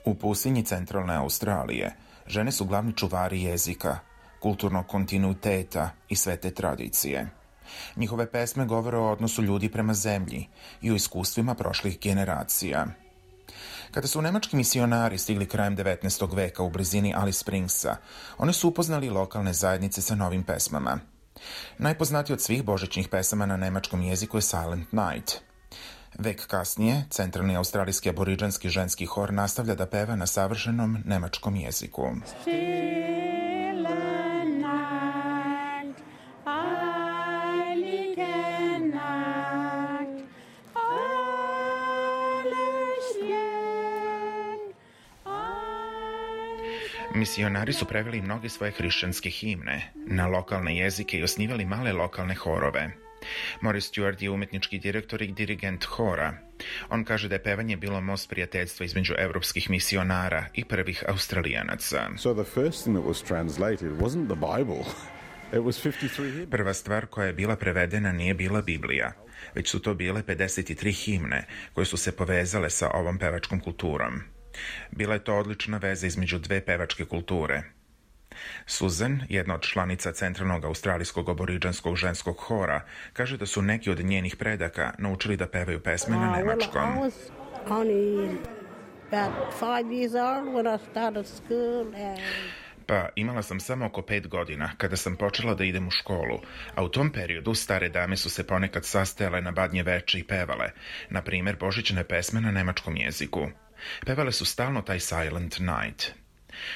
U pustinji centralne Australije žene su glavni čuvari jezika, kulturnog kontinuiteta i svete tradicije. Njihove pesme govore o odnosu ljudi prema zemlji i o iskustvima prošlih generacija. Kada su nemački misionari stigli krajem 19. veka u blizini Alice Springsa, oni su upoznali lokalne zajednice sa novim pesmama. Najpoznatiji od svih božićnih pesama na nemačkom jeziku je Silent Night. Vek kasnije, centralni australijski aboriđanski ženski hor nastavlja da peva na savršenom nemačkom jeziku. Misionari su preveli mnoge svoje hrišćanske himne na lokalne jezike i osnivali male lokalne horove. Morris Stewart je umetnički direktor i dirigent hora. On kaže da je pevanje bilo most prijateljstva između evropskih misionara i prvih Australijanaca. Prva stvar koja je bila prevedena nije bila Biblija, već su to bile 53 himne koje su se povezale sa ovom pevačkom kulturom. Bila je to odlična veza između dve pevačke kulture. Susan, jedna od članica centralnog australijskog aboriđanskog ženskog hora, kaže da su neki od njenih predaka naučili da pevaju pesme na nemačkom. Pa, imala sam samo oko 5 godina kada sam počela da idem u školu, a u tom periodu stare dame su se ponekad sastajale na badnje veče i pevale, na primjer božićne pesme na nemačkom jeziku. Pevale su stalno taj Silent Night.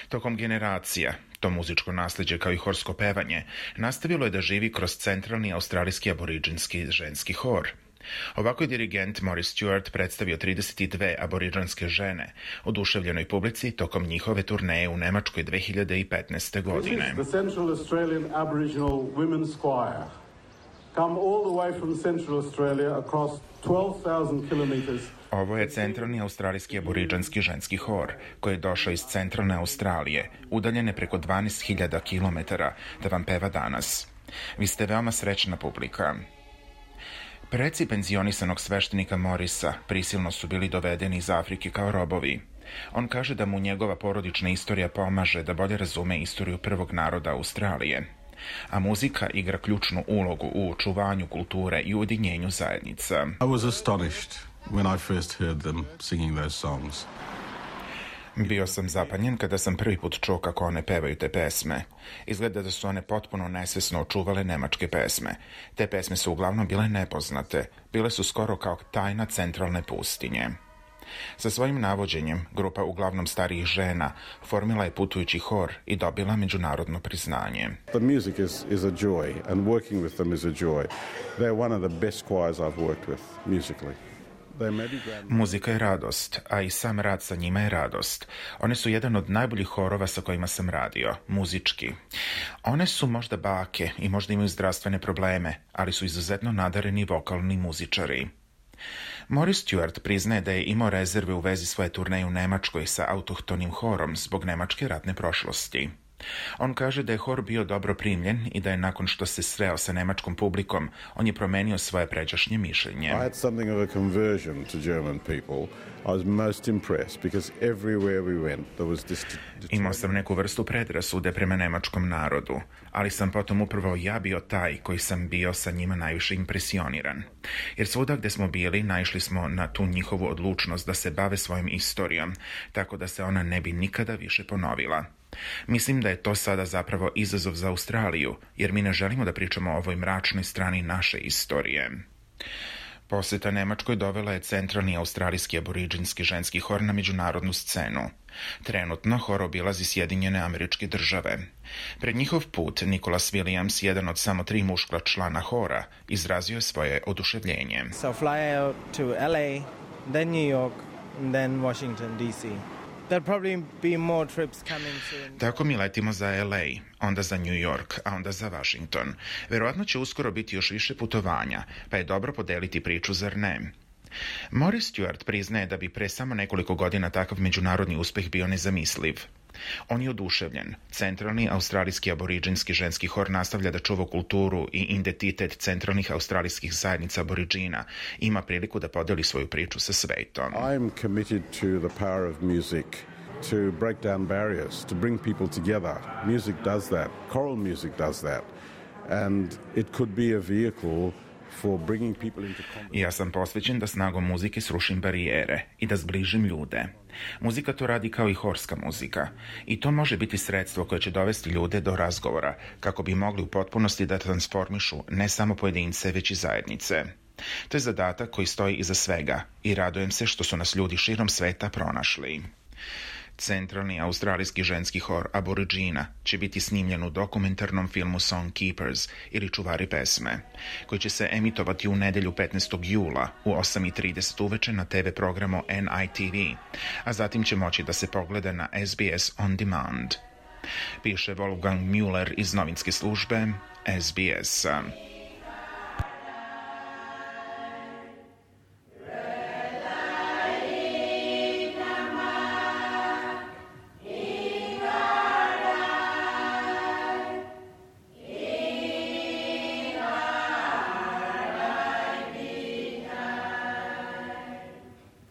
Tokom generacija, to muzičko nasleđe kao i horsko pevanje nastavilo je da živi kroz centralni australijski aboriđinski ženski hor. Ovako je dirigent Morris Stewart predstavio 32 aboriđanske žene oduševljenoj publici tokom njihove turneje u Nemačkoj 2015. godine. The Central Australian Aboriginal Women's Choir come all the way from Central Australia across 12,000 kilometers. Ovo je centralni australijski aboriđanski ženski hor, koji je došao iz centralne Australije, udaljene preko 12.000 kilometara, da vam peva danas. Vi ste veoma srećna publika. Preci penzionisanog sveštenika Morisa prisilno su bili dovedeni iz Afrike kao robovi. On kaže da mu njegova porodična istorija pomaže da bolje razume istoriju prvog naroda Australije. A muzika igra ključnu ulogu u očuvanju kulture i ujedinjenju zajednica. I was astonished when I first heard them singing those songs. Bio sam zapanjen kada sam prvi put čuo kako one pevaju te pesme. Izgleda da su one potpuno nesvesno očuvale nemačke pesme. Te pesme su uglavnom bile nepoznate. Bile su skoro kao tajna centralne pustinje. Sa svojim navođenjem, grupa uglavnom starijih žena formila je putujući hor i dobila međunarodno priznanje. The music is a joy and working with them is a joy. They're one of the best choirs I've worked with musically. Muzika je radost, a i sam rad sa njima je radost. One su jedan od najboljih horova sa kojima sam radio, muzički. One su možda bake i možda imaju zdravstvene probleme, ali su izuzetno nadareni vokalni muzičari. Morris Stewart priznaje da je imao rezerve u vezi svoje turneje u Nemačkoj sa autohtonim horom zbog nemačke ratne prošlosti. On kaže da je hor bio dobro primljen i da je nakon što se sreo sa nemačkom publikom, on je promenio svoje pređašnje mišljenje. I had something of a conversion to German people. I was most impressed because everywhere we went there was this... Imao sam neku vrstu predrasude prema nemačkom narodu, ali sam potom upravo ja bio taj koji sam bio sa njima najviše impresioniran. Jer svuda gde smo bili, naišli smo na tu njihovu odlučnost da se bave svojom istorijom, tako da se ona ne bi nikada više ponovila. Mislim da je to sada zapravo izazov za Australiju, jer mi ne želimo da pričamo o ovoj mračnoj strani naše istorije. Poseta Nemačkoj dovela je centralni australijski aboriđinski ženski hor na međunarodnu scenu. Trenutno hor obilazi Sjedinjene Američke Države. Pred njihov put Nicholas Williams, jedan od samo 3 muška člana hora, izrazio je svoje oduševljenje. So fly out to LA, then New York, then Washington DC. There'll probably be more trips coming soon. Tako mi letimo za LA, onda za New York, a onda za Washington. Verovatno će uskoro biti još više putovanja, pa je dobro podeliti priču, zar ne? Morris Stewart priznaje da bi pre samo nekoliko godina takav međunarodni uspeh bio nezamisliv. On je oduševljen. Centralni australijski aboriđinski ženski hor nastavlja da čuva kulturu i identitet centralnih australijskih zajednica aboriđina i ima priliku da podeli svoju priču sa svetom. I'm committed to the power of music to break down barriers, to bring people together. Music does that. Choral music does that. And it could be a vehicle for bringing people into contact. Ja sam posvećen da snagom muzike srušim barijere i da zbližim ljude. Muzika to radi kao i horska muzika. I to može biti sredstvo koje će dovesti ljude do razgovora, kako bi mogli u potpunosti da transformišu ne samo pojedince, već i zajednice. To je zadatak koji stoji iza svega i radujem se što su nas ljudi širom sveta pronašli. Centralni australijski ženski hor Aborigina će biti snimljen u dokumentarnom filmu Song Keepers ili Čuvari pesme, koji će se emitovati u nedelju 15. jula u 8:30 uveče na TV programu NITV, a zatim će moći da se pogleda na SBS On Demand. Piše Wolfgang Müller iz novinske službe SBS.